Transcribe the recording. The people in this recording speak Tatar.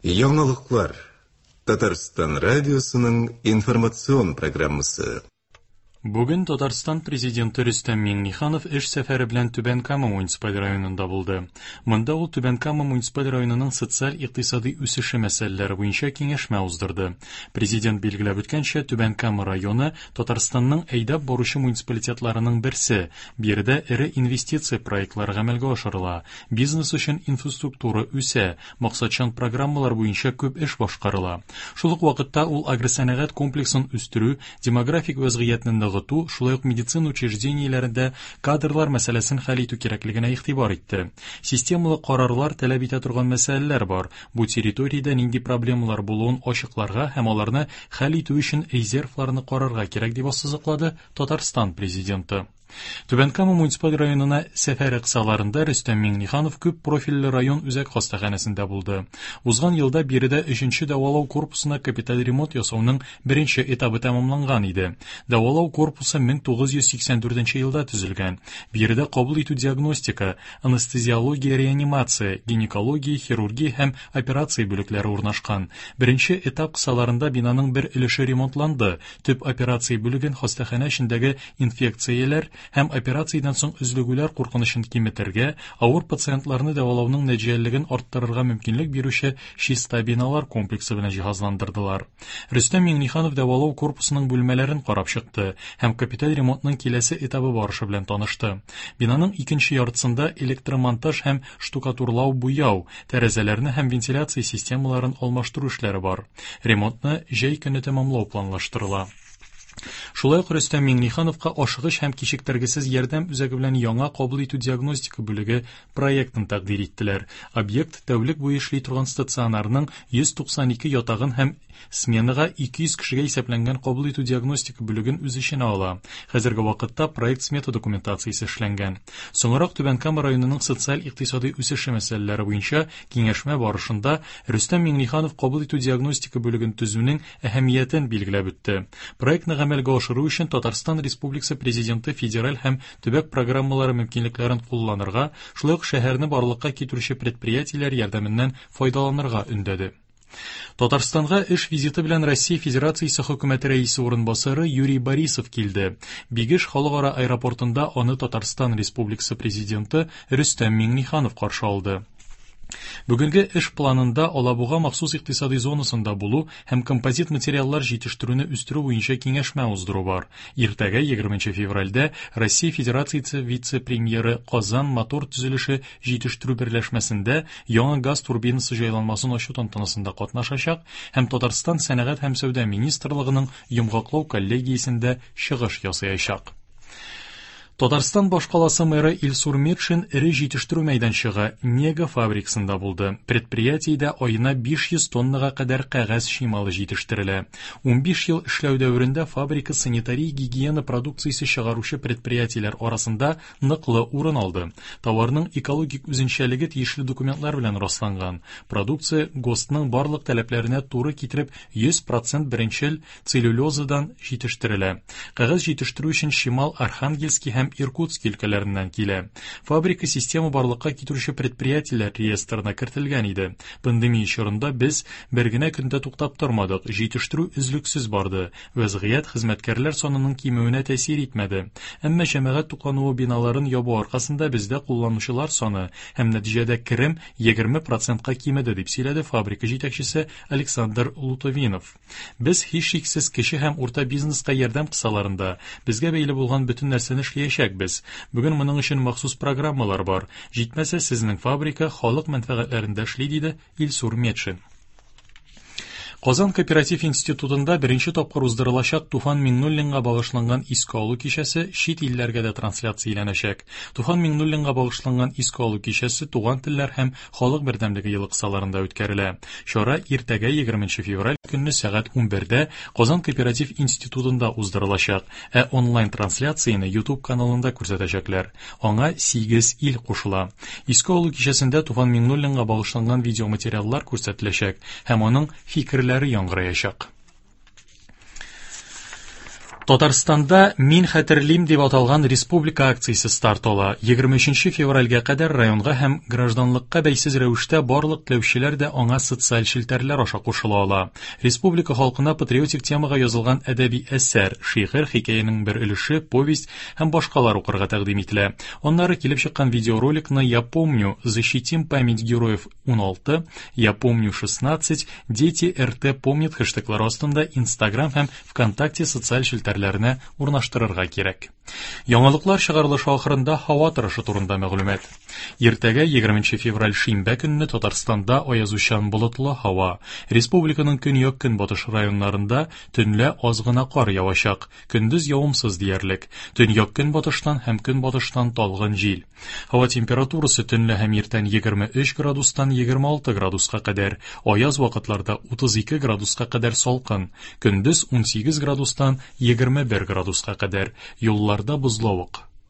Яңалыклар. Татарстан радиосының информацион программасы. Бүген Татарстан Президенты Рөстәм Миңнеханов эш сәфәре белән Түбән Кама муниципаль районында булды. Монда ул Түбән Кама муниципаль районының социаль-икътисадый үсеше мәсьәләләре буенча киңәшмә уздырды. Президент билгеләп үткәнчә, Түбән Кама районы Татарстанның әйдәп баручы муниципалитетларының берсе. Биредә эре инвестиция проектлары гамәлгә ашырыла, бизнес өчен инфраструктура үсә, максатчан программалар буенча күп эш башкарыла. Шул ук вакытта ул агросәнәгать комплексын үстерү, демографик вәзгыятьне ныгыту, шулай ук медицина учреждениеләрендә кадрлар мәсьәләсен хәл итү кирәклегенә игътибар итте. Системалы карарлар таләп итә торган мәсьәләләр бар. Бу территориядә нинди проблемалар булуын ачыкларга һәм аларны хәл итү өчен резервларны карарга кирәк, дип ассызыклады Татарстан Президенты. Түбән Кама муниципаль районына сәфәре кысаларында Рөстәм Миңнеханов күп профильле район үзәк хастаханәсендә булды. Узган елда биредә өченче дәвалау корпусына капиталь ремонт ясауның беренче этабы тәмамланган иде. Дәвалау корпусы 1984 елда төзелгән. Биредә кабул итү диагностика, анестезиология, реанимация, гинекология, хирургия һәм операция бүлекләре урнашкан. Беренче этап кысаларында бинаның бер өлеше ремонтланды. Төп операция бүлеген хастаханә эчендәге инфекцияләр һәм операциядән соң өзлегүләр куркынычын киметергә, авыр пациентларны дәвалауның нәтиҗәлелеген арттырырга мөмкинлек бирүче чиста биналар комплексы белән җиһазландырдылар. Рөстәм Миңнеханов дәвалау корпусының бүлмәләрен карап чыкты һәм капиталь ремонтның киләсе этабы барышы белән танышты. Бинаның икенче яртысында электромонтаж һәм штукатурлау-буяу, тәрәзәләрне һәм вентиляция системаларын алмаштыру эшләре бар. Ремонтны җәй көне тәмамлау планлаштырыла. Шулай ук Рөстәм Миңнехановка ашыгыч һәм кичектергесез ярдәм үзәге белән яңа кабул итү диагностика бүлеге проектын тәкъдир иттеләр. Объект тәүлек буе эшли торган стационарның 192 ятагын һәм сменага 200 кешегә исәпләнгән кабул итү диагностика бүлеген үз эченә ала. Хәзерге вакытта проект-смета документациясе эшләнгән. Соңрак Түбән Кама районының социаль-икътисадый үсеше мәсьәләләре буенча киңәшмә барышында Рөстәм Миңнеханов кабул итү диагностика бүлеген төзүнең әһәмиятен билгеләп үтте. Проектны гамәлгә ашыру өчен Татарстан Республикасы Президенты федераль һәм төбәк программалары мөмкинлекләрен кулланырга, шулай ук шәһәрне барлыкка китерүче предприятиеләр ярдәменнән файдаланырга өндәде. Татарстанга эш визиты белән Россия Федерациясе Хөкүмәте Рәисе урынбасары Юрий Борисов килде. Бигеш халыкара аэропортында аны Татарстан Республикасы Президенты Рөстәм Миңнеханов каршы алды. Бүгенге эш планында Алабуга махсус икътисадый зонасында булу һәм композит материаллар җитештерүне үстерү буенча киңәшмә уздыру бар. Иртәгә, 20 февральдә, Россия Федерациясе вице-премьеры Казан мотор төзелеше җитештерү берләшмәсендә яңа газ турбинасы җайланмасын ачу тантанасында катнашачак һәм Татарстан Сәнәгать һәм сәүдә министрлыгының йомгаклау коллегиясендә чыгыш ясаячак. Татарстан башкаласы мэры Илсур Метшин эре җитештерү мәйданчыгы Нега фабрикасында булды. Предприятиедә аена 500 тоннага кадәр кәгазь чималы җитештерелә. 15 ел эшләү дәверендә фабрика санитария-гигиена продукциясе чыгаручы предприятиеләр арасында ныклы урын алды. Товарның экологик үзенчәлеге тиешле документлар белән расланган. Продукция ГОСТның барлык таләпләренә туры китереп 100 процент беренчел целлюлозадан җитештерелә. Кәгазь җитештерү өчен чимал Архангельский һәм Иркутский өлкәләреннән килә. Фабрика система барлыкка китерүче предприятиеләр реестрына кертелгән иде. Пандемия чорында без бер генә көн дә туктап тормадык, җитештерү өзлексез барды. Вәзгыять хезмәткәрләр санының кимүенә тәэсир итмәде. Әмма җәмәгать туклануы биналарын ябу аркасында бездә кулланучылар саны һәм нәтиҗәдә керем 20 процентка кимеде, дип сөйләде фабрика җитәкчесе Александр Лутовинов. Без, һичшиксез, кече һәм урта бизнеска ярдәм кысаларында, безгә бәйле булган бөтен нәрсәне эшләячәкбез. Бүген моның өчен махсус программалар бар. Җитмәсә, сезнең фабрика халык мәнфәгатьләрендә эшли, диде Илсур Метшин. Казан кооператив институтында беренче тапкыр уздырылачак Туфан Миңнуллинга багышланган искә алу кичәсе чит илләргә дә трансляцияләнәчәк. Туфан Миңнуллинга багышланган искә алу кичәсе Туган телләр һәм Халык бердәмлеге елы кысаларында үткәрелә. Чара иртәгә, 20 февраль көнне сәгать 11дә Казан кооператив институтында уздырылачак, ә онлайн-трансляцияне YouTube каналында күрсәтәчәкләр. Аңа 8 ил кушыла. Искә алу кичәсендә Туфан Миңнуллинга багышланган видеоматериаллар күрсәтеләчәк һәм аның фикерләре яңгыраячак. Татарстанда Мин хәтерлим дип аталган республика акциясе старт ала. 23 февральгә кадәр районга һәм гражданлыкка бәйсез рәвештә барлык теләүчеләр дә аңа социаль челтәрләр аша кушыла ала. Республика халкына патриотик темага язылган әдәби әсәр, шигырь, хикәянең бер өлеше, повесть һәм башкалар укырга тәкъдим ителә. Аннары килеп чыккан видеороликны Я помню, защитим память героев 16, Я помню 16, Дети РТ помнят хэштеглары астында Инстаграм һәм ВКонтакте социаль челтәрләренә урнаштырырга кирәк. Яңалыклар чыгарылышы ахырында һава торышы турында мәгълүмат. Иртәгә 20 февраль шимбә көнне Татарстанда аязучан болытлы һава. Республиканың көньяк-көнбатыш районнарында төнлә аз гына кар явачак. Көндез явымсыз диярлек. Төньяк-көнбатыштан һәм көнбатыштан талгын җил. Һава температурасы төнлә һәм иртән 23 градустан 26 градуска кадәр, аяз вакытларда 32 градуска кадәр салкын, көндез 18 градустан 21 градуска кадәр. Юлларда бозлавык.